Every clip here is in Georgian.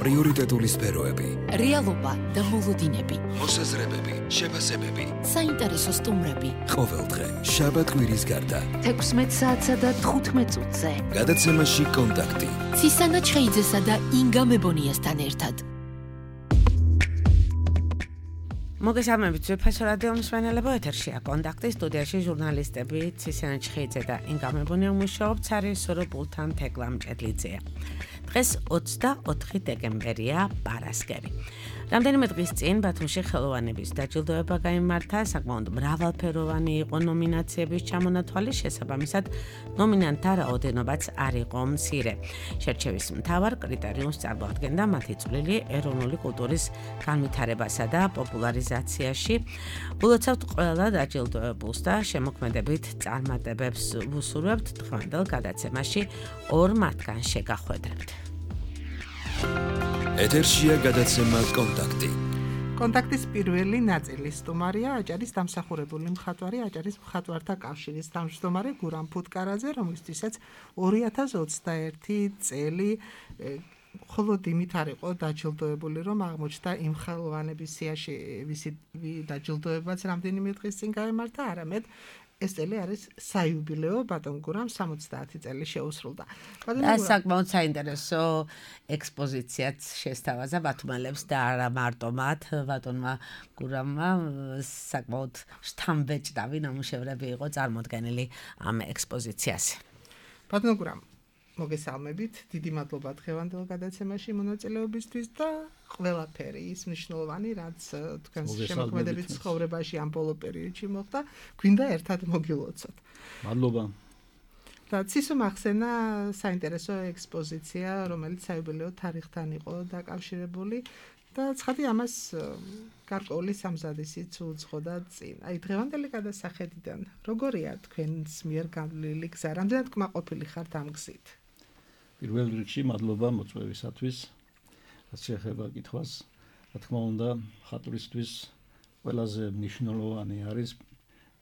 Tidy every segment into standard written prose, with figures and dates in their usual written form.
პრიორიტეტული სფეროები, რეალობა და მოლოდინები, მოსაზრებები, შეფასებები, საინტერესო სტუმრები. ყოველდღე შაბათ-კვირის გარდა 16 საათსა და 15 წუთზე. გადაცემაში კონტაქტი. ცისანა ჩხეიძესა და ინგა მებონიასთან ერთად. მოგესალმებით, ვეფასო რადიო მსმენელებო, ეთერშია კონტაქტი, სტუდიაში ჟურნალისტები ცისანა ჩხეიძე და ინგა მებონია მუშაობთ სარესორობულთან თეკლა მჭედლიძეა. დღეს 24 დეკემბერია, პარასკევი. რამდენიმე დღის წინ ბათუმში ხელოვანების დაჯილდოება გაიმართა, საკმაოდ მრავალფეროვანი იყო ნომინაციების ჩამონათვალი, შესაბამისად ნომინანტთა რაოდენობაც არ იყო მცირე. შერჩევის მთავარ კრიტერიუმს წარმოადგენდა მათი წვლილი ეროვნული კულტურის განვითარებასა და პოპულარიზაციაში. ულოცავთ ყველა დაჯილდოებულს და შემოქმედებით წარმატებებს ვუსურვებთ დღევანდელ გადაცემაში ორ მათგან შეგახვედრებთ. ეთერშია გადაცემა კონტაქტი. კონტაქტის პირველი ნაწილის სტუმარია აჭარის დამსახურებული მხატვარი, აჭარის მხატვართა კავშირის თავმჯდომარე გურამ ფუტკარაძე, რომლისთვისაც 2021 წელი მხოლოდ იმით არ იყო დაჯილდოებული, რომ აღმოჩნდა იმ ხელოვანების სიაში, ვისი დაჯილდოებაც რამდენიმე დღის წინ გაემართა, არამედ ეს წელი არის საიუბილეო, ბატონ გურამ 70 წელი შეუსრულდა. და საკმაოდ საინტერესო ექსპოზიციაც შესთავაზა ბათუმელებს და არა მარტო მათ, ბატონმა გურამმა საკმაოდ შთამბეჭდავი ნამუშევრები იყო წარმოდგენილი ამ ექსპოზიციაზე. ბატონ გურამ, მოგესალმებით, დიდი მადლობა დღევანდელ გადაცემაში მონაწილეობისთვის და ყველაფერი ის მნიშვნელოვანი, რაც თქვენს შემოქმედებით ცხოვრებაში ამ ბოლო პერიოდში მოხდა, გვინდა ერთად მოგილოცოთ. მადლობა. და ცისო მახსენა საინტერესო ექსპოზიცია, რომელიც საიუბილეო თარიღთან იყო დაკავშირებული და ცხადი ამას გარკვეული სამზადისიც უძღოდა წინ. აი დღევანდელი გადასახედიდან როგორია თქვენს მიერ გამლილი გზა, რამდენად კმაყოფილი ხართ ამ გზით? პირველ რიგში მადლობა მოწვევისათვის, რაც შეეხება კითხვას. რა თქმა უნდა, მხატვრისთვის ყველაზე მნიშვნელოვანი არის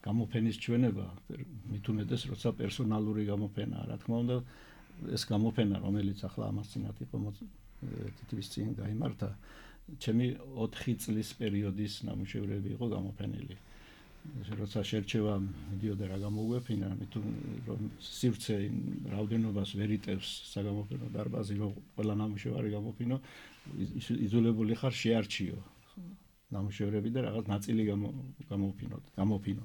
გამოფენის ჩვენება, მით უმეტეს, როცა პერსონალური გამოფენაა. რა თქმა უნდა, ეს გამოფენა, რომელიც ახლა ამას წინათ იყო თითქმის წინ გაიმართა, ჩემი 4 წლის პერიოდის ნამუშევრები იყო გამოფენილი. როცა შერჩევა მიდიოდა რა გამოგვეფინა, რომ სივრცე რაოდენობას ვერ იტევს საგამოფენო დარბაზი, რომ ყველა ნამუშევარი გამოფინო, იძულებული ხარ შეარჩიო ნამუშევრები და რაღაც ნაწილი გამოფინო.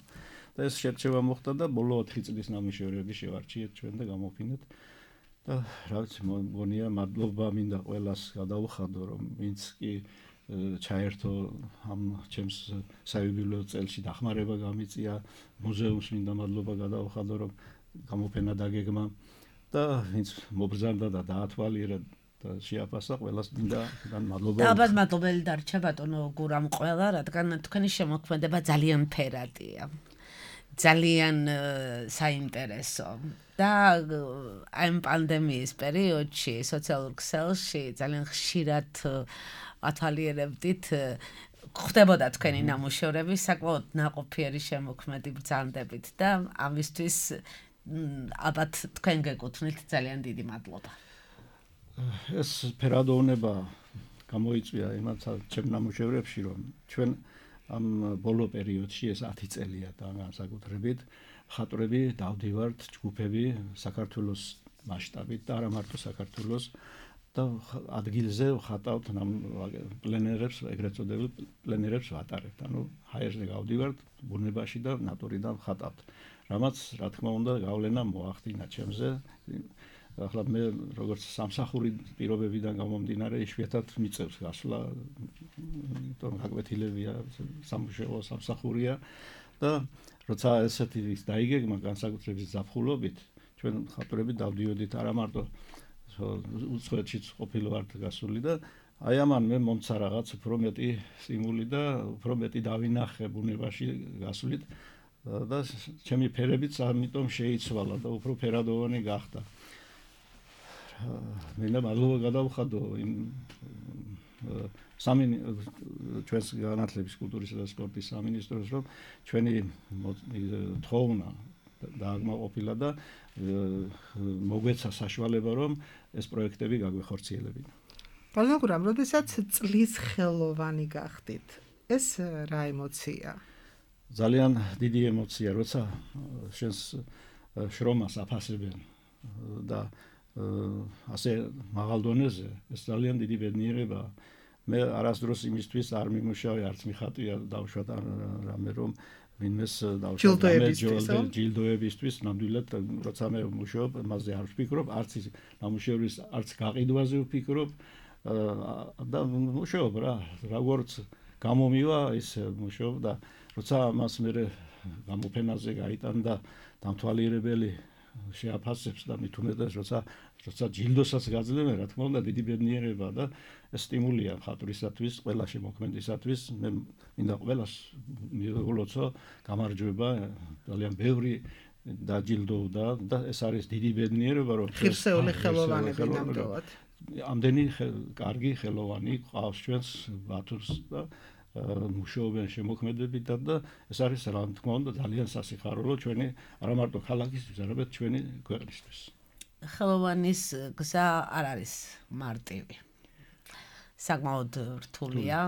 და ეს შერჩევა მოხდა და ბოლო 4 წლის ნამუშევრები შევარჩიეთ ჩვენ და გამოფინეთ. და რა ვიცი, მგონია მადლობა მინდა ყველას გადაუხადო, რომ ვინც კი ჩაერთო ამ ჩემს საიუბილეო წელში დახმარება გამიწია, მუზეუმს მინდა მადლობა გადაუხადო, რომ გამოფენა დაგეგმა და ვინც მობრძანდა და დაათვალიერა და შეაფასა, ყველას მინდა მადლობა. და ალბათ მადლობელი დარჩა ბატონო გურამ ყველა, რადგან თქვენი შემოქმედება ძალიან ფერადია. ძალიან საინტერესო და ამ პანდემიის პერიოდში სოციალურ ქსელში ძალიან ხშირად ათვალიერებდით ხდებოდა თქვენი ნამუშევრები საკმაოდ ნაყოფიერი შემოქმედი ბრძანდებით და ამისთვის ალბათ თქვენ გეკუთვნით ძალიან დიდი მადლობა. ეს ფერადოვნება გამოიწვია იმათ ჩემ ნამუშევრებში, რომ ჩვენ ამ ბოლო პერიოდში ეს 10 წელია და განსაკუთრებით მხატვრები დავდივართ ჯგუფები საქართველოს მასშტაბით და არა მარტო საქართველოს და ადგილზე ვხატავთ პლენერებს, ეგრეთ წოდებულ პლენერებს ვატარებთ. ანუ ჰაერზე გავდივართ ბუნებაში და ნატურიდან ვხატავთ. რამაც რა თქმა უნდა გავლენა მოახდინა ჩემზე. ახლა მე როგორც სამსახური პირობებიდან გამომდინარე იშვიათად მიწევს გასვლა, იმიტომ გაკვეთილებია სამუშაო სამსახურია და როცა ესეთი ის დაიგეგმა განსაკუთრებით ზაფხულობით, ჩვენ მხატვრები დავდიოდით არა მარტო უცხოეთშიც ყოფილვართ გასული და აი ამან მე მომცა რაღაც უფრო მეტი სტიმული და უფრო მეტი დავინახე ბუნებაში გასვლით და ჩემი ფერებიც ამიტომ შეიცვალა და უფრო ფერადოვანი გახდა. მინდა მადლობა გადავხადო იმ ჩვენს განათლების, კულტურისა და სპორტის სამინისტროს, რომ ჩვენი თხოვნა დააკმაყოფილა და მოგვეცა საშუალება, რომ ეს პროექტები გაგვეხორციელებინა. ბალნოგრამ, როდესაც წლის ხელოვანი გახდით, ეს რა ემოცია? ძალიან დიდი ემოცია, როცა შენს შრომას აფასებენ და ასე მაღალ დონეზე, ეს ძალიან დიდი ბედნიერებაა. მე არასდროს იმისთვის არ მიმუშავე, არც მიხატვია დავშვათ რამე რომ ვინმეს დავშვათ ჯილდოებისთვის, ნამდვილად როცა მე ვმუშაობ, მასზე არ ვფიქრობ, არც ის ნამუშევრის არც გაყიდვაზე ვფიქრობ და ვმუშაობ რა, როგორც გამომივა ის ვმუშაობ და როცა მას მე გამოფენაზე გაიტანდა დამთვალიერებელი შეაფასებს და მით უმეტეს როცა ჯილდოსაც გაძლევენ, რა თქმა უნდა დიდი ბედნიერება და ეს სტიმულია მხატვრისათვის, ყველა შემოქმედისათვის, მე მინდა ყველას მივეულოცო გამარჯვება, ძალიან ბევრი დაჯილდოვდა და ეს არის დიდი ბედნიერება, რომ ღირსეული ხელოვანები ნამდვილად. ამდენი კარგი ხელოვანი ყავს ჩვენს ბათუმს და მუშაობენ შემოქმედებითად და ეს არის რა თქმა უნდა ძალიან სასიხარულო ჩვენი არა მარტო ქალაქისთვის, არამედ ჩვენი ქვეყნისთვის. ხელოვანის გზა არ არის მარტივი. საკმაოდ რთულია.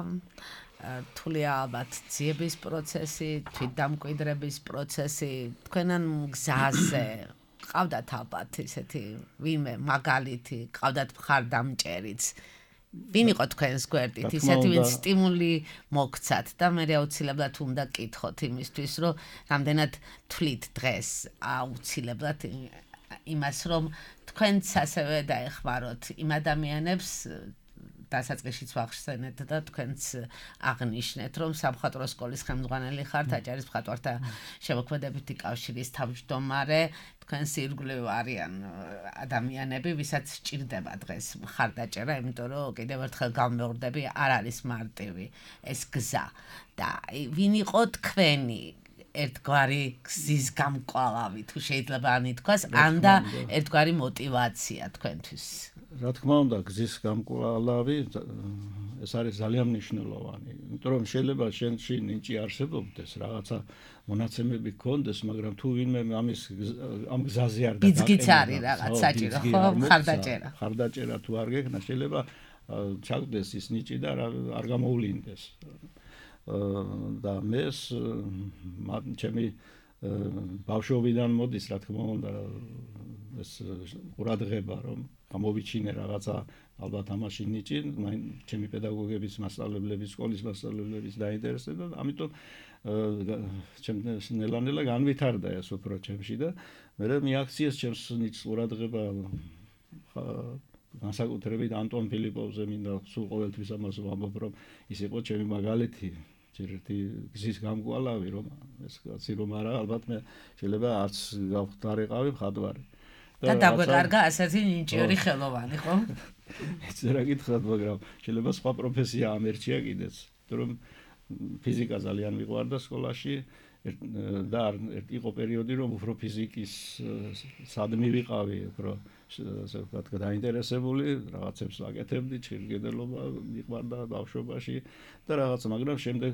რთულია ალბათ ძიების პროცესი, თვითდამკვიდრების პროცესი, თქვენან გზაზე ყავდათ ალბათ ისეთი ვინმე მაგალითი, ყავდათ მხარდამჭერიც. ვინ იყო თქვენს გვერდით, ისეთი ვინც სტიმული მოგცათ და მე აუცილებლად უნდა კითხოთ იმისთვის, რომ რამდენად თვლით დღეს აუცილებლად იმას, რომ თქვენც ასევე დაეხმაროთ იმ ადამიანებს დასაწყისშიც ვახსენეთ და თქვენც აღნიშნეთ, რომ სამხატვრო სკოლის ხელმძღვანელი ხართ, აჭარის მხატვართა შემოქმედებითი კავშირის თავმჯდომარე, თქვენს ირგვლივ არიან ადამიანები, ვისაც სჭირდება დღეს მხარდაჭერა, იმიტომ რომ კიდევ ერთხელ გამეორდები, არ არის მარტივი ეს გზა და ვინ იყო თქვენი ერთგვარი გზის გამკვალავი, თუ შეიძლება ამით თქვას, ან და ერთგვარი мотиваცია თქვენთვის. რა თქმა უნდა, გზის გამკვალავი ეს არის ძალიან მნიშვნელოვანი, იმიტომ რომ შეიძლება შენში ნიჭი არსებობდეს, რაღაცა მონაცემები გქონდეს, მაგრამ თუ ვინმე ამ გზაზე არ გაგაკეთებს, ბიძგიც არის რაღაც საჭირო, ხო, მხარდაჭერა. მხარდაჭერა თუ არ გექნა, შეიძლება ჩაგდეს ის ნიჭი და არ გამოულინდეს. და მე ჩემი ბავშვობიდან მოდის, რა თქმა უნდა, ეს ყურადღება, რომ გამოვიჩინე რაღაცა ალბათ ამაში ნიჭი, ჩემი პედაგოგების მასწავლებლების, სკოლის მასწავლებლების დაინტერესდა, ამიტომ ნელა-ნელა განვითარდა ეს უფრო ჩემში და მე მიაქციეს ჩემს ნიჭს ყურადღება განსაკუთრებით ანტონ ფილიპოვზე მინდა სულ ყოველთვის ამას ვამბობ, რომ ის იყო ჩემი მაგალითი. ერთი გზის გამკვალავი რომ ეს კაცი რომ არა ალბათ მე შეიძლება არც გავხდარიყავი მხატვარი და დაგვეკარგა ასეთი ნიჭიერი ხელოვანი ხო? ეს რა გითხრათ, მაგრამ შეიძლება სხვა პროფესია ამერჩია კიდეც, რომ ფიზიკა ძალიან მიყვარდა სკოლაში და იყო პერიოდი რომ უფრო ფიზიკის სადმი ვიყავი, უფრო ასე ვთქვათ დაინტერესებული, რაღაცებს ვაკეთებდი, ჩირგედელობა მიყვარდა ბავშვობაში და რაღაც, მაგრამ შემდეგ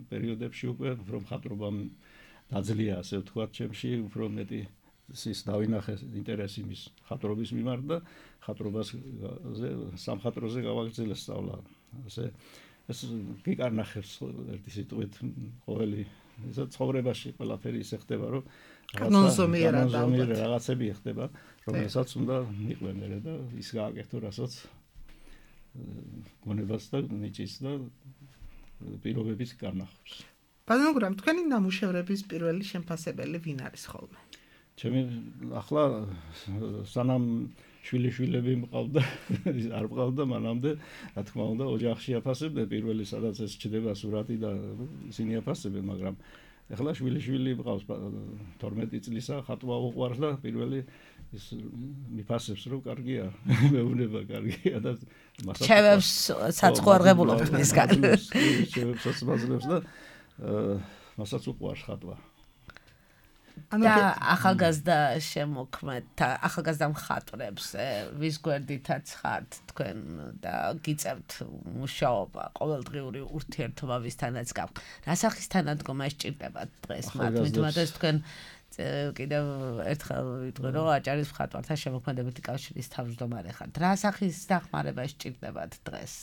პერიოდებში უკვე უფრო მხატვრობამ დაძლია, ასე ვთქვათ, ჩემში უფრო მეტი ის დავინახე ინტერესი მის მხატვრობის მიმართ და მხატვრობაზე, სამხატვროზე გავაგრძელე სწავლა. ასე ეს გიკარნახებს ერთი სიტყვით ყოველი ესა ცხოვრებაში ყველაფერი ისე ხდება, რომ რაღაცები ხდება, რომელსაც უნდა მიყვენერე და ის გააკეთო, რასაც გონებას და ნიჭის და პირობების კარნახობს. ბალნოგრამ, თქვენი ნამუშევრების პირველი შემფასებელი ვინ არის ხოლმე? ჩემი ახლა სანამ შვილიშვილები მყავდა, არ მყავდა მანამდე, რა თქმა უნდა, ოჯახში აფასებდნენ, პირველი სადაც ეს ჩდება სურათი და ისინი აფასებენ, მაგრამ ახლა შვილიშვილი მყავს 12 წლისა, ხატვა უყვარს და პირველი ის მიფასებს, რომ კარგია, მეუბნება კარგია და ჩევებს საცხოვრებულობთ მისგან. ჩევებსაც მაძლევს და მასაც უყვარს ხატვა. და ახალგაზრდა შემოქმედთა, ახალგაზრდა მხატვრებს, ვის გვერდითაც ხართ თქვენ და გიწევთ მუშაობა, ყოველდღიური ურთიერთობა ვისთანაც გაქვთ. რა სახის თანადგომა სჭირდებათ დღეს მათ? მithumetes თქვენ კიდევ ერთხელ ვიტყვი რომ აჭარის მხატვართა შემოქმედებითი კავშირის თავმჯდომარე ხართ. რა სახის დახმარება სჭირდებათ დღეს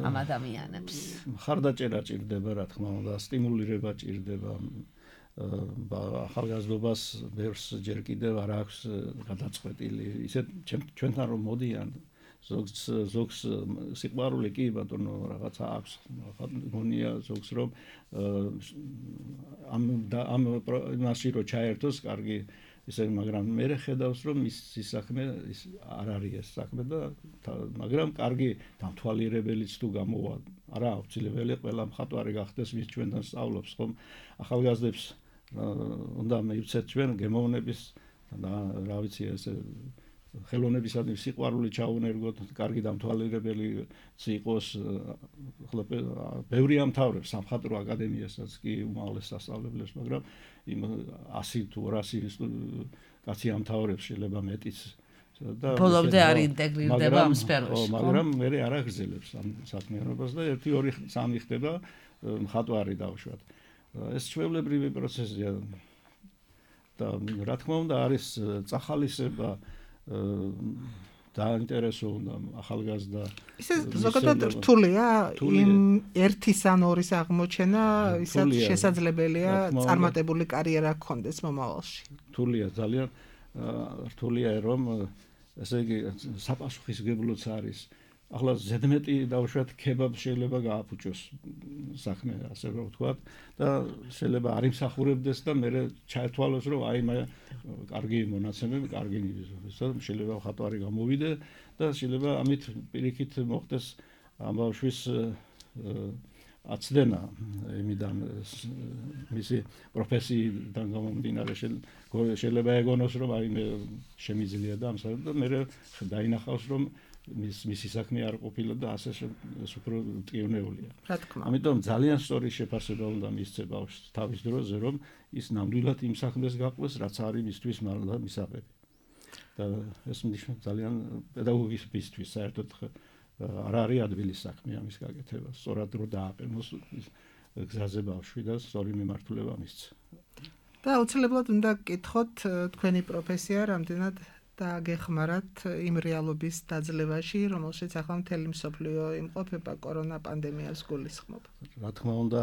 ამ ადამიანებს? მხარდაჭერა ჭირდება, რა თქმა უნდა, სტიმულირება ჭირდება. ახალგაზრდობას ბევრს ჯერ კიდევ არ აქვს გადაწყვეტილი. ისე ჩვენთან რომ მოდიან ზოგს სიყვარული კი ბატონო რაღაცა აქვს. გონია ზოგს რომ ამ მასში რო ჩაერთოს კარგი ისე, მაგრამ მე ხედავს რომ ის საქმე არ არის ეს საქმე და მაგრამ კარგი დამთვალიერებელიც თუ გამოვა. არა აუცილებელი ყველა მხატვარი გახდეს, ვის ჩვენთან სწავლობს, ხომ? ახალგაზრდებს უნდა მივცეთ ჩვენ გემოვნების და რა ვიცი ესე ხელოვნებისადმი სიყვარული ჩაუნერგოთ, კარგი დამთვალიერებელი იყოს. ახლა ბევრი ამთავრებს სამხატვრო აკადემიასაც კი უმაღლეს სასწავლებლებს, მაგრამ იმ 100 თუ 200 კაცი ამთავრებს, შეიძლება მეტიც. ბოლომდე არ ინტეგრირდება ამ სფეროში. მაგრამ მე არ აგრძელებს ამ საქმიანობას და 1-2-3 ხდება მხატვარი დავშვათ. ეს ჩვეულებრივი პროცესია და რა თქმა უნდა არის წახალისება დაინტერესო უნდა ახალგაზრდა. ისე ზოგადად რთულია იმ ერთის ან ორის აღმოჩენა, ისაც შესაძლებელია წარმატებული კარიერა გქონდეს მომავალში. რთულია, ძალიან რთულია რომ ესე იგი საპასუხისგებლოც არის. ახლა ზედმეტი დავუშვათ ქებაბ შეიძლება გააფუჭოს საქმე, ასე რომ ვთქვათ და შეიძლება არ იმსახურებდეს და მე ჩაერთვალოს რომ აი მე კარგი მონაცემები, კარგი შეიძლება მხატვარი გამოვიდე და შეიძლება ამით პირიქით მოხდეს ამ ბავშვის აცდენა იმიდან მისი პროფესიიდან გამომდინარე შეიძლება ეგონოს რომ აი მე შემიძლია და ამასა და მე დაინახავს რომ მისი საქმე არ ყოფილა და ასე ეს უფრო ტკივნეულია. რა თქმა უნდა. ამიტომ ძალიან სწორი შეფასება უნდა მისცე ბავშვს თავის დროზე რომ ის ნამდვილად იმ საქმეს გაყვეს, რაც არის მისთვის მისაღები. და ეს ნიშნავს ძალიან პედაგოგისთვის საერთოდ არ არის ადვილის საქმე ამის გაკეთება. სწორად რო დააყენოს გზაზე ბავშვი და სწორი მიმართულება მისცე. და აუცილებლად უნდა გკითხოთ თქვენი პროფესია რამდენად დააგეხმარათ იმ რეალობის დაძლევაში, რომელშიც ახლა მთელი მსოფლიო იმყოფება კორონა პანდემიას გულისხმობ. რა თქმა უნდა,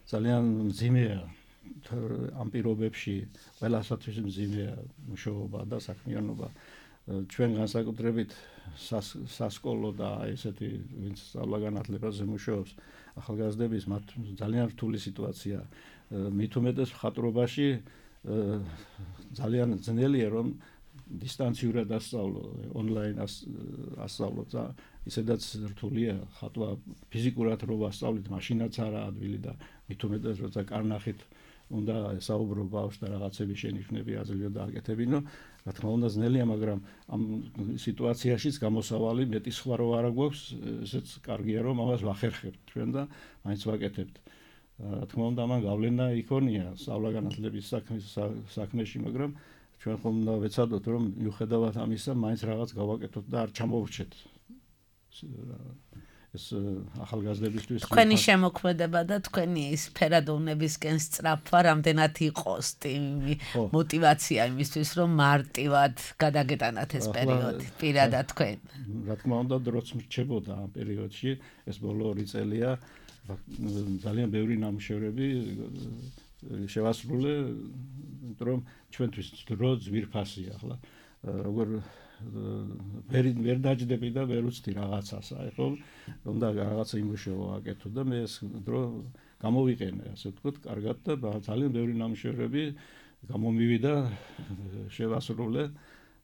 ძალიან მძიმეა ამ პირობებში, ყველასათვის მძიმეა მუშაობა და საქმიანობა. ჩვენ განსაკუთრებით სასკოლო და ესეთი ვინც სწავლა-განათლებაზე მუშაობს, ახალგაზრდების მათ ძალიან რთული სიტუაცია. მით უმეტეს მხატვრობაში ძალიან ძნელია რომ დისტანციურად ასწავლო, ონლაინ ასწავლო და ისედაც რთულია ხატვა ფიზიკურად რო ასწავლით, მაშინაც არა ადვილი და მით უმეტეს როცა კარნახით უნდა ესაუბრო ბავშვს და რაღაცები შენიშვნები აძლევიო და აკეთებინო, რა თქმა უნდა ძნელია, მაგრამ ამ სიტუაციაშიც გამოსავალი მეტი სხვა რო არა გვაქვს, ესეც კარგია რომ ამას ვახერხებთ ჩვენ და მაინც ვაკეთებთ. რა თქმა უნდა ამან გავლენა იქონია სწავლა-განათლების საქმეში, მაგრამ ჩვენ ხომ უნდა ვეცადოთ რომ მიუხედავად ამისა მაინც რაღაც გავაკეთოთ და არ ჩამოვრჩეთ ეს ახალგაზრდებისთვის. თქვენი შემოქმედება და თქვენი სფერადოვნებისკენ სწრაფვა რამდენად იყოს მოტივაცია იმისთვის რომ მარტივად გადაგეტანათ ეს პერიოდი პირადად თქვენ. რა თქმა უნდა დროც მრჩებოდა ამ პერიოდში, ეს ბოლო 2 წელია ძალიან ბევრი ნამუშევრები შევასრულე, რომ ჩვენთვის დრო ძვირფასია ახლა. როგორ ვერ დაждები და ვერ უცდი რაღაცას, აი ხო, უნდა რაღაცა იმუშავა აკეთო და მე ეს დრო გამოვიყენე, ასე ვთქვათ, კარგად და ძალიან ბევრი ნამუშევრები გამომივიდა, შევასრულე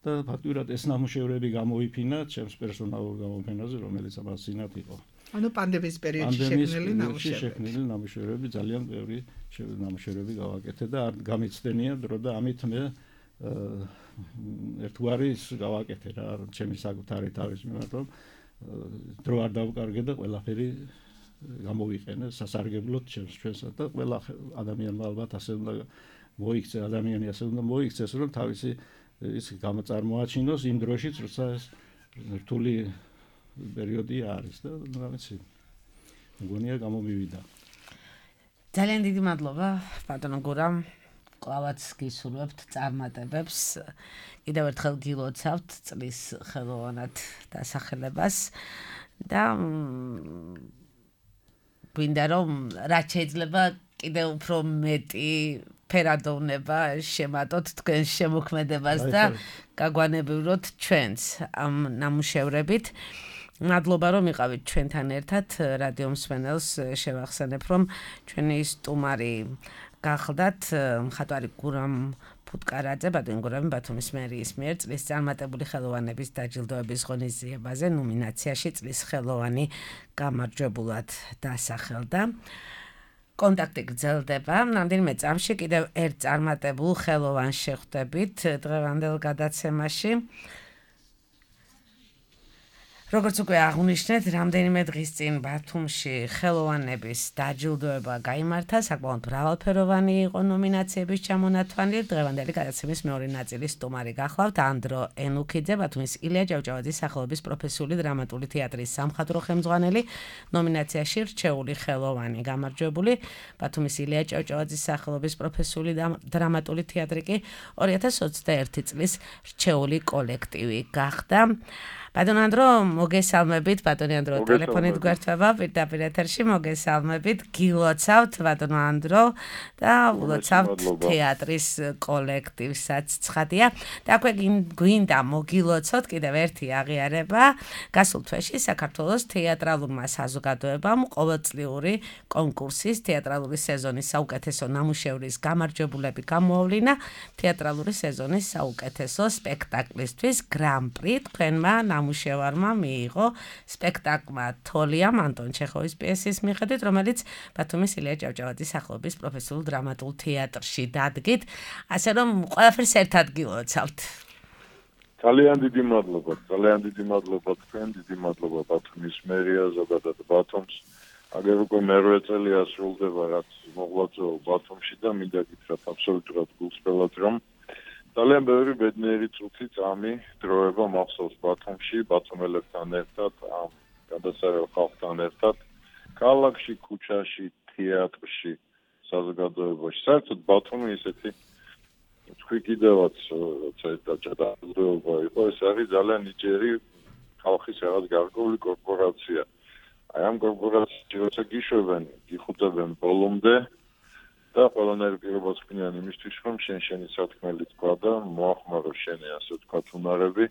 და ფაქტურად ეს ნამუშევრები გამოიფინა ჩემს პერსონალურ გამოფენაზე, რომელიც ამას წინათ იყო. ანუ პანდემიის პერიოდში შექმნილი ნამუშევრები ძალიან ბევრი ნამუშევრები გავაკეთე და არ გამიცდენია დრო და ამით მე ერთგვარი გავაკეთე რა ჩემი საკუთარი თავის მიმართ რომ დრო არ დავკარგე და ყველაფერი გამოვიყენე სასარგებლოდ ჩვენსა და ყველა ადამიანმა ალბათ ასე უნდა მოიქცე ადამიანი ასე უნდა მოიქცეს რომ თავისი ის გამოწარმოაჩინოს იმ დროშიც როცა ეს რთული პერიოდი არის და რა ვიცი მგონია გამომივიდა. ძალიან დიდი მადლობა ბატონო გურამ კლავაც გისურვებთ წარმატებებს. კიდევ ერთხელ გილოცავთ წლის ხელოვანად დასახელებას და გვინდა რომ რაც შეიძლება კიდევ უფრო მეტი ფერადოვნება შემატოთ თქვენს შემოქმედებას და გაგვანებივროთ ჩვენს ამ ნამუშევრებით. მადლობა რომ იყავით ჩვენთან ერთად. რადიო მსმენელს შევახსენებ რომ ჩვენი სტუმარი გახლდათ მხატვარი გურამ ფუტკარაძე, ბატონი გურამი ბათუმის მერიის მიერ წლის წარმატებული ხელოვანების დაჯილდოების ღონისძიებაზე ნომინაციაში წლის ხელოვანი გამარჯვებულად დასახელდა. კონტაქტი გრძელდება. რამდენიმე წამში კიდევ ერთ წარმატებულ ხელოვანს შეხვდებით დღევანდელ გადაცემაში. როგორც უკვე აღნიშნეთ, რამდენიმე დღის წინ ბათუმში ხელოვანების დაჯილდოება გაიმართა. საკმაოდ მრავალფეროვანი იყო ნომინაციების ჩამონათვალი. დღევანდელი გადაცემის მეორე ნაწილის სტუმარი გახლავთ ანდრო ენუქიძე, ბათუმის ილია ჭავჭავაძის სახელობის პროფესიული დრამატული თეატრის სამხატვრო ხელმძღვანელი, ნომინაციაში რჩეული ხელოვანი გამარჯვებული. ბათუმის ილია ჭავჭავაძის სახელობის პროფესიული დრამატული თეატრი კი 2021 წლის რჩეული კოლექტივი გახდა. ბატონ ანდრო, მოგესალმებით, ბატონი ანდრო ტელეფონით გვერდება პირდაპირ ეთერში, მოგესალმებით, გილოცავთ ბატონო ანდრო და ულოცავთ თეატრის კოლექტივსაც ცხადია. და აქვე გვინდა მოგილოცოთ კიდევ ერთი აღიარება. გასულ თვეში საქართველოს თეატრალურმა საზოგადოებამ ყოველწლიური კონკურსის თეატრალური სეზონის საუკეთესო ნამუშევრის გამარჯვებულები გამოავლინა თეატრალური სეზონის საუკეთესო სპექტაკლისთვის გრან-პრი თქვენმა ნამუშევარმა მიიღო სპექტაკლმა თოლიამ ანტონ ჩეხოვის პიესის მიხედვით, რომელიც ბათუმის ილია ჭავჭავაძის სახელობის პროფესიულ დრამატულ თეატრში დადგით, ასე რომ ყველაფერს ერთად გილოცავთ. ძალიან დიდი მადლობა თქვენ, დიდი მადლობა ბათუმის მერიას, ზოგადად ბათუმს. აგერ უკვე მერვე წელია სრულდება, რაც მოღვაწეობ ბათუმში და მინდა გითხრათ აბსოლუტურად გულწრფელად, რომ ძალიან ბევრი ბედნიერი წუთი წამი დროება მახსოვს ბათუმში, ბათუმელებთან ერთად, ამ გადასარევ ხალხთან ერთად, ქალაქში, ქუჩაში, თეატრში, საზოგადოებაში. საერთოდ ბათუმი ისეთი თქვი კიდევაც როცა ეს დაჯილდოება იყო, ეს არის ძალიან ნიჭიერი ხალხის რაღაც გარკვეული კორპორაცია. აი ამ კორპორაციებში როცა გიშვებენ, გიხუტებენ ბოლომდე და ყველანაირ პირობას ხმიან იმისთვის, რომ შენი სათქმელი თქვა და მოახმარო შენი ასე თქვა უნარები.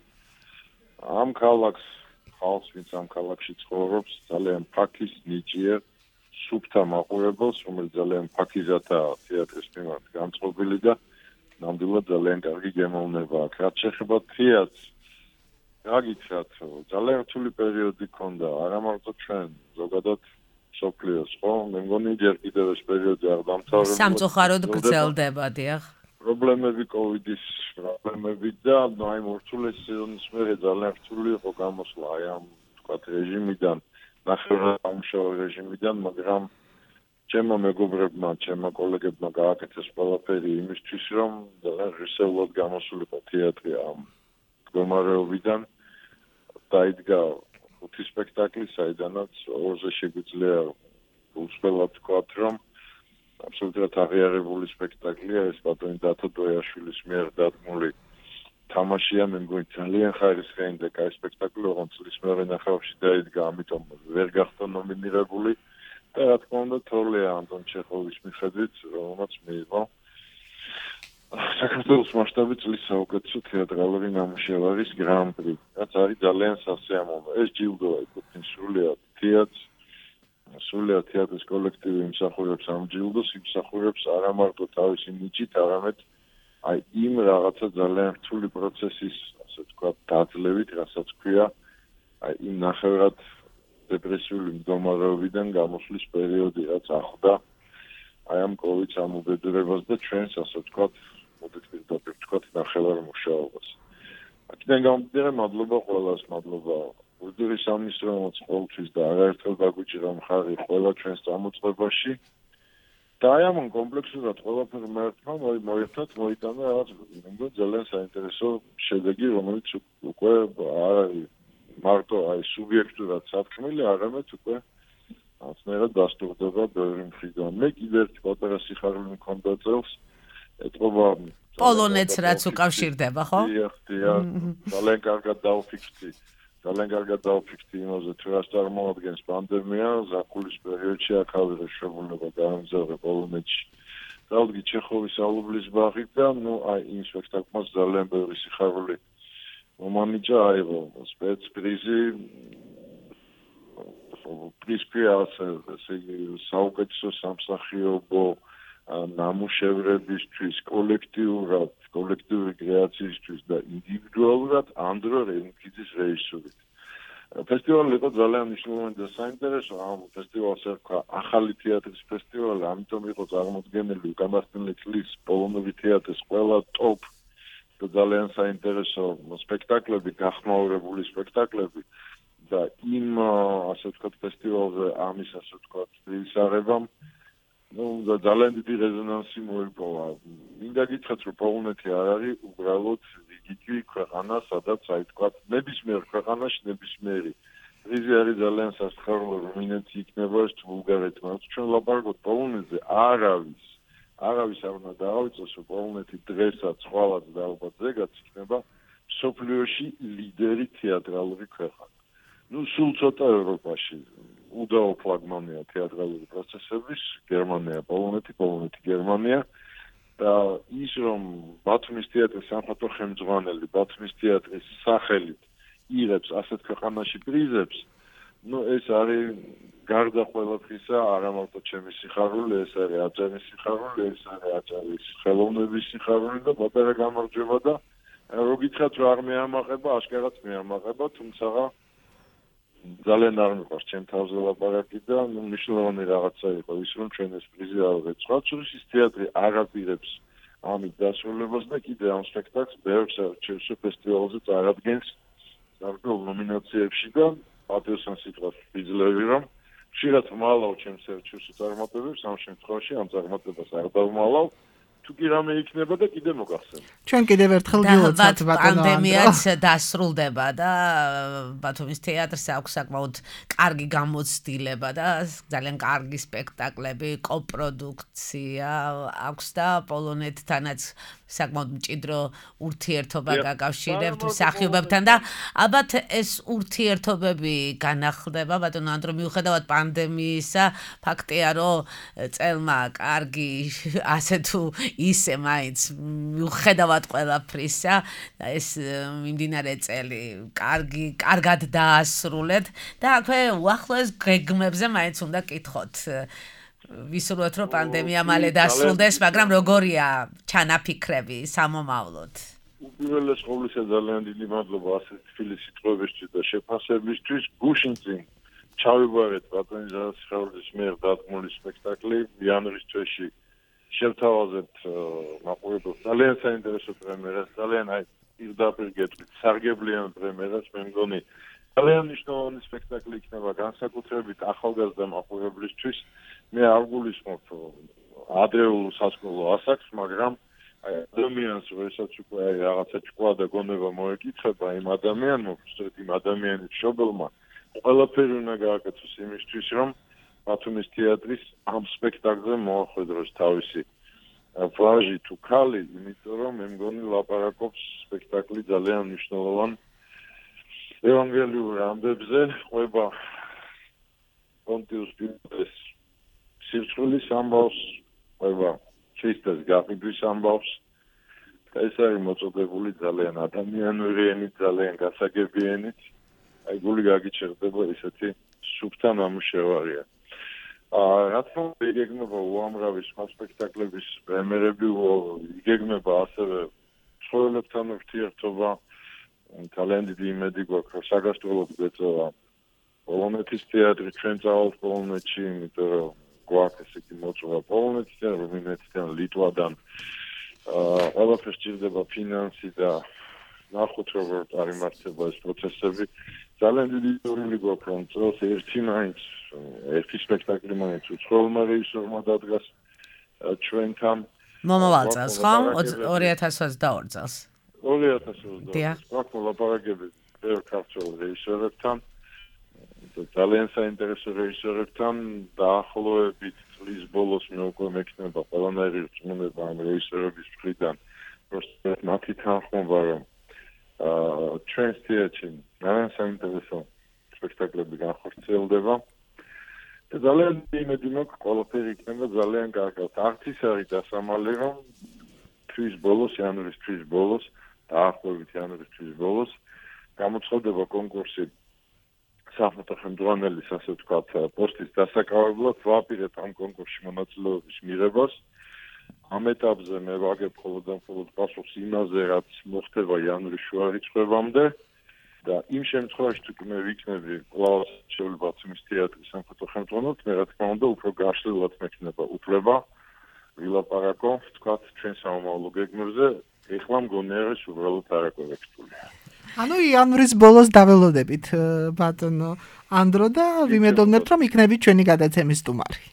ამ ხალხს, ვინც ამ ქალაქში ცხოვრობს, ძალიან ფაქის ნიჭიერ სუფთა მაყურებელს, რომელიც ძალიან ფაქიზათაა თეატრის მიმართ განწყობილი და ნამდვილად ძალიან კარგი გემოვნება აქვს. რაც შეეხება თეატრს, რა გითხრათ, ძალიან რთული პერიოდი ჰქონდა, არა მარტო ჩვენ, ზოგადად სოფლიოს, ხო? მე მგონი ჯერ კიდევ ეს პერიოდი არ დამთავრდა. სამწუხაროდ გრძელდება, დიახ. პრობლემები კოვიდის პრობლემები და აი მორთულეს სეზონის მერე ძალიან რთული იყო გამოსვლა აი ამ თქვათ რეჟიმიდან, ნახევრად ამუშავე რეჟიმიდან, მაგრამ ჩემო მეგობრებმა, ჩემო კოლეგებმა გააკეთეს ყველაფერი იმისთვის, რომ ძალიან ღირსეულად გამოსულიყო თეატრი ამ მდგომარეობიდან. დაიდგა 5 სპექტაკლი, საიდანაც 2-ზე შეგვიძლია უცხოელად ვთქვათ, რომ აბსოლუტურად აღიარებული სპექტაკლია ეს ბატონი დათო დოიაშვილის მიერ დადგმული თამაშია. მე მგონი ძალიან ხარისხიანი და კაი სპექტაკლი, ოღონდ წლის მეორე ნახევარში დაიდგა, ამიტომ ვერ გახდა ნომინირებული და რა თქმა უნდა თოლია ანტონ ჩეხოვის მიხედვით, რომელმაც მიიღო საქართველოს მასშტაბით წლის საუკეთესო თეატრალური ნამუშევარის გრან-პრი, რაც არის ძალიან სასიამოვნო. ეს ჯილდოა ეკუთვნის სრულიად თეატრის კოლექტივი იმსახურებს ამ ჯილდოს, იმსახურებს არა მარტო თავისი ნიჭით, არამედ აი იმ რაღაცა ძალიან რთული პროცესის, ასე ვთქვათ, დაძლევით, რასაც ქვია, აი იმ ნახევრად დეპრესიული მდგომარეობიდან გამოსვლის პერიოდი, რაც ახლდა აი ამ კოვიდს ამ უბედურებას და ჩვენს, ასე ვთქვათ, მოდით პირდაპირ ვთქვათ, ნახევარ მუშაობას. აქედან გამომდინარე, მადლობა ყველას, მადლობა უდრის ამის რომელსაც ყოველთვის და არაერთხელ გაგვიჭირა მხარი ყველა ჩვენს წამოწყებაში და აი ამ კომპლექსურად ყველაფერი მოერთად მოიტანა რაღაც ძალიან საინტერესო შედეგი, რომელიც უკვე არ არის მარტო აი სუბიექტურად სათქმელი, არამედ უკვე აცნერად დასტურდება ბევრი მხრიდან. მე კიდევ ერთი პატარა სიხარული მქონდა წელს ეთყობა პოლონეთს რაც უკავშირდება, ხო? დიახ, ძალიან კარგად დავფიქრდი იმაზე, თუ რას წარმოადგენს პანდემია, ზაფხულის პერიოდში აქავე შეგვიძლია გაამგზავრე პოლონეთში. დავდგი ჩეხოვის ალუბლის ბაღით და იმ სპექტაკლს ძალიან ბევრი სიხარული მომანიჭა, აიღო სპეცპრიზი, პრიზი საუკეთესო სამსახიობო ნამუშევრებისთვის, კოლექტიური კრეაციისთვის და ინდივიდუალურად ანდრო რენკიძის რეჟისურით. ფესტივალი იყო ძალიან მნიშვნელოვანი და საინტერესო. ამ ფესტივალს ერქვა ახალი თეატრის ფესტივალი, ამიტომ იყო წარმოდგენილი უკანასკნელი წლის პოლონური თეატრის ყველა ტოპ და ძალიან საინტერესო სპექტაკლები, გახმაურებული სპექტაკლები და იმ ასე ვთქვათ ფესტივალზე ამის ასე ვთქვათ ისარებამ და ძალიან დიდი რეზონანსი მოიპოვა. მინდა გითხრათ, რომ პოლონეთი არ არის უბრალოდ რიგითი ქვეყანა, სადაც აი ვთქვათ, ნებისმიერ ქვეყანაში ნებისმიერი პრიზი არის ძალიან სასიხარულო, რუმინეთი იქნება, თუ ბულგარეთი, მაგრამ ჩვენ ლაპარაკობთ პოლონეთზე, არავის არ უნდა დაავიწყოს, რომ პოლონეთი დღესაც, ხვალაც და ალბათ ზეგაც იქნება მსოფლიოში ლიდერი თეატრალური ქვეყანა. სულ ცოტა ევროპაში უდაო ფლაგმანია თეატრალური პროცესების, გერმანია, პოლონეთი, გერმანია და ის რომ ბათუმის თეატრის სამხატვრო ხელმძღვანელი ბათუმის თეატრის სახელით იღებს ასეთ ქვეყანაში პრიზებს, ეს არის გარდა ყველაფრისა, არა მარტო ჩემი სიხარული, ეს არის აჭარის სიხარული, ეს არის აჭარის ხელოვნების სიხარული და პატარა გამარჯვება და რო გითხრათ, რომ არ მეამაყება, აშკარად მეამაყება, თუმცა ძალიან არ მიყვარს ჩემ თავზე ლაპარაკი და მნიშვნელოვანი რაღაცა იყო ის, რომ ჩვენ ეს პრიზი არ ვეცხვათ. ის თეატრი არ აპირებს ამით დასრულებას და კიდე ამ სპექტაკლს ბევრ საერთაშორისო ფესტივალზე წარადგენს გარკვეულ ნომინაციებში და პატიოსან სიტყვას ვიძლევი, რომ ხშირად ვმალავ ჩემს საერთაშორისო წარმატებებს, ამ შემთხვევაში ამ წარმატებას არ დავმალავ. თუ კი რამე იქნება და კიდე მოგახსენებ. ჩვენ კიდევ ერთხელ გილოცავთ ბატონო პანდემიაც დასრულდება და ბათუმის თეატრს აქვს საკმაოდ კარგი გამოცდილება და ძალიან კარგი სპექტაკლები, კოპროდუქცია აქვს და პოლონეთთანაც საკმაოდ მჭიდრო ურთიერთობა გაკავშირებთ მსახიობებთან და ალბათ ეს ურთიერთობები განახლდება ბატონო ანდრო მიუხედავად პანდემიისა ფაქტია რომ წელმა კარგი ასე თუ ისე მაინც მიუხედავად ყველაფრისა და ეს მიმდინარე წელი კარგად დაასრულეთ და აქვე უახლოეს გეგმებზე მაინც უნდა კითხოთ ვისურვებთ რომ პანდემია მალე დასრულდეს მაგრამ როგორია ჩანაფიქრები სამომავლოდ უპირველეს ყოვლისა ძალიან დიდი მადლობა ასეთ თბილი სიტყვებისთვის და შეფასებისთვის გუშინ წინ ჩავიბარეთ ბატონი ზარასიხარულის მიერ დადგმული სპექტაკლი იანვრის თვეში შევთავაზებთ მაყურებელს ძალიან საინტერესო პრემიერას, ძალიან პირდაპირ გეტყვით სარგებლიან პრემიერას, მე მგონი ძალიან მნიშვნელოვანი სპექტაკლი იქნება განსაკუთრებით ახალგაზრდა მაყურებლისთვის. მე არ გულისხმობ ადრეულ სასკოლო ასაკს, მაგრამ ადამიანს როდესაც უკვე რაღაცა ჭკვა და გონება მოეკითხება იმ ადამიანმა, უბრალოდ იმ ადამიანის მშობელმა, ყველაფერი უნდა გააკეთოს იმისთვის, რომ ბათუმის თეატრის ამ სპექტაკლზე მოახვედროს თავისი ვაჟი თუ ქალი, იმიტომ რომ მე მგონი ლაპარაკობს სპექტაკლი ძალიან მნიშვნელოვან ევანგელიურ ამბებზე, ყვება პონტიუს პილატეს სირცხვილის ამბავს, ყვება ქრისტეს გაყიდვის ამბავს. ეს არის მოწოდებული ძალიან ადამიანური ენით, ძალიან გასაგები ენით. აი გული გაგიჩერდება ისეთი სუფთა ნამუშევარია. რა თქმა უნდა, იგეგმება უამრავი სხვა სპექტაკლების პრემიერები, იგეგმება ასევე მსხვილებთან ურთიერთობა. ძალიან დიდი იმედი გვაქვს, რომ საგასტროლოდ გვეწევა პოლონეთის თეატრი, ჩვენ წავალთ პოლონეთში, იმიტომ რომ გვაქვს ესე იგი მოწვევა პოლონეთიდან, რუმინეთიდან, ლიტვიდან. ყველაფერს სჭირდება ფინანსი და ნახოთ როგორ წარიმართება ეს პროცესები. ძალიან დიდი ისტორიული გვაქვს, რომ წელს ერთი სპექტაკლი მაინც უცხოელმა რეჟისორმა დადგას ჩვენთან. მომავალ წელს, ხო? 2022 წელს. 2022 წელს. გვაქვს ლაპარაკები ბევრ ქართველ რეჟისორებთან. ძალიან საინტერესო რეჟისორებთან დაახლოებით წლის ბოლოს მე უკვე მექნება ყველანაირი რწმუნება ამ რეჟისორების მხრიდან პროსტად მათი თანხმობა რომ ჩვენს თეატრში ძალიან საინტერესო სპექტაკლები განხორციელდება და ძალიან იმედი მაქვს ყველაფერი იქნება ძალიან კარგად. არც ის არის დასამალი რომ იანვრის თვის ბოლოს დაახლოებით იანვრის თვის ბოლოს გამოცხადდება კონკურსი საფრთხე ხელმძღვანელის ასე ვთქვათ პოსტის დასაკავებლად ვაპირებ ამ კონკურსში მონაწილეობის მიღებას. ამ ეტაპზე მე ვაგებ მხოლოდ პასუხს იმაზე, რაც მოხდება იანვრის შუა რიცხვებამდე და იმ შემთხვევაში თუ მე ვიქნები კლაუს ბათუმის თეატრის სამხატვრო ხელმძღვანელად, მე რა თქმა უნდა უფრო გაშლილად მექნება უფლება ვილაპარაკო, ვთქვათ, ჩვენ სამომავლო გეგმებზე, ეხლა მგონია რომ უბრალოდ არაკორექტულია. ანუ იანვრის ბოლოს დაველოდებით ბატონო ანდრო და ვიმედოვნებთ რომ იქნებით ჩვენი გადაცემის სტუმარი.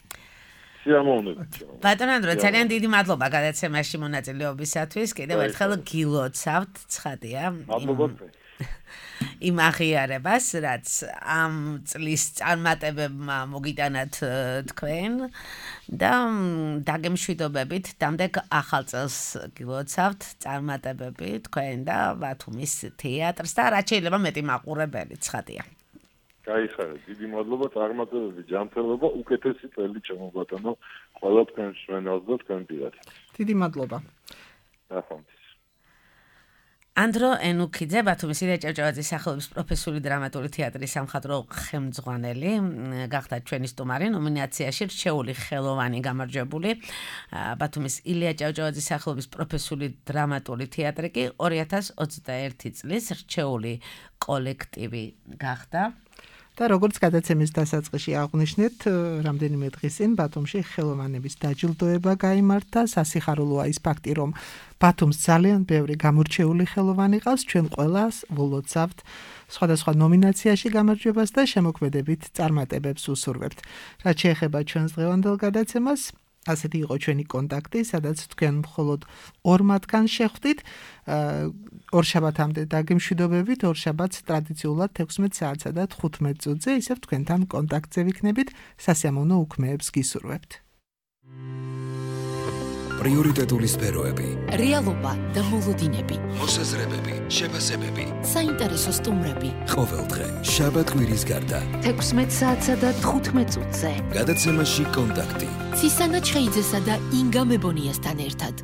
სიამოვნებით. ბატონო ანდრო, ძალიან დიდი მადლობა გადაცემაში მონაწილეობისათვის. კიდევ ერთხელ გილოცავთ, ცხადია. მადლობა. იმ აღიარებას, რაც ამ წლის წარმატებებმა მოგიტანათ თქვენ და დაგემშვიდობებით დამდეგ ახალ წელს გილოცავთ წარმატებები თქვენ და ბათუმის თეატრს და რაც შეიძლება მეტი მაყურებელი ცხადია. გაიხარეთ, დიდი მადლობა, წარმატებები, ჯანმრთელობა, უკეთესი წელი ჩემო ბატონო, ყველა თქვენს ჩვენელს და თქვენ პირად. დიდი მადლობა. ნახვამდის. ანდრო ენუქიძე, ბათუმის ილია ჭავჭავაძის სახელობის პროფესიული დრამატული თეატრის სამხატვრო ხელმძღვანელი, გახდა ჩვენი სტუმარი ნომინაციაში რჩეული ხელოვანი გამარჯვებული. ბათუმის ილია ჭავჭავაძის სახელობის პროფესიული დრამატული თეატრი კი 2021 წლის რჩეული კოლექტივი გახდა. და როგორც გადაცემის დასაწყისში აღვნიშნეთ, რამდენიმე დღის წინ ბათუმში ხელოვანების დაჯილდოება გაიმართა. სასიხარულოა ის ფაქტი, რომ ბათუმს ძალიან ბევრი გამორჩეული ხელოვანი ყავს. ჩვენ ყველას ვლოცავთ სხვადასხვა ნომინაციაში გამარჯვებას და შემოქმედებით წარმატებებს უსურვებთ. რაც შეეხება ჩვენს დღევანდელ გადაცემას, ასეთი იყო ჩვენი კონტაქტი, სადაც თქვენ მხოლოდ 2 მათგანს შეხვდით. ორშაბათამდე დაგემშვიდობებით, ორშაბათს ტრადიციულად 16 საათსა და 15 წუთზე ისევ თქვენთან კონტაქტზე ვიქნებით, სასიამოვნო უქმეებს გისურვებთ. პრიორიტეტული სფეროები, რეალობა და მოლოდინები, მოსაზრებები, შეფასებები, საინტერესო სტუმრები. ყოველდღე შაბათ კვირის გარდა 16 საათსა და 15 წუთზე. გადაცემაში კონტაქტი. ცისანა ჩხეიძესა და ინგა მებონიასთან ერთად.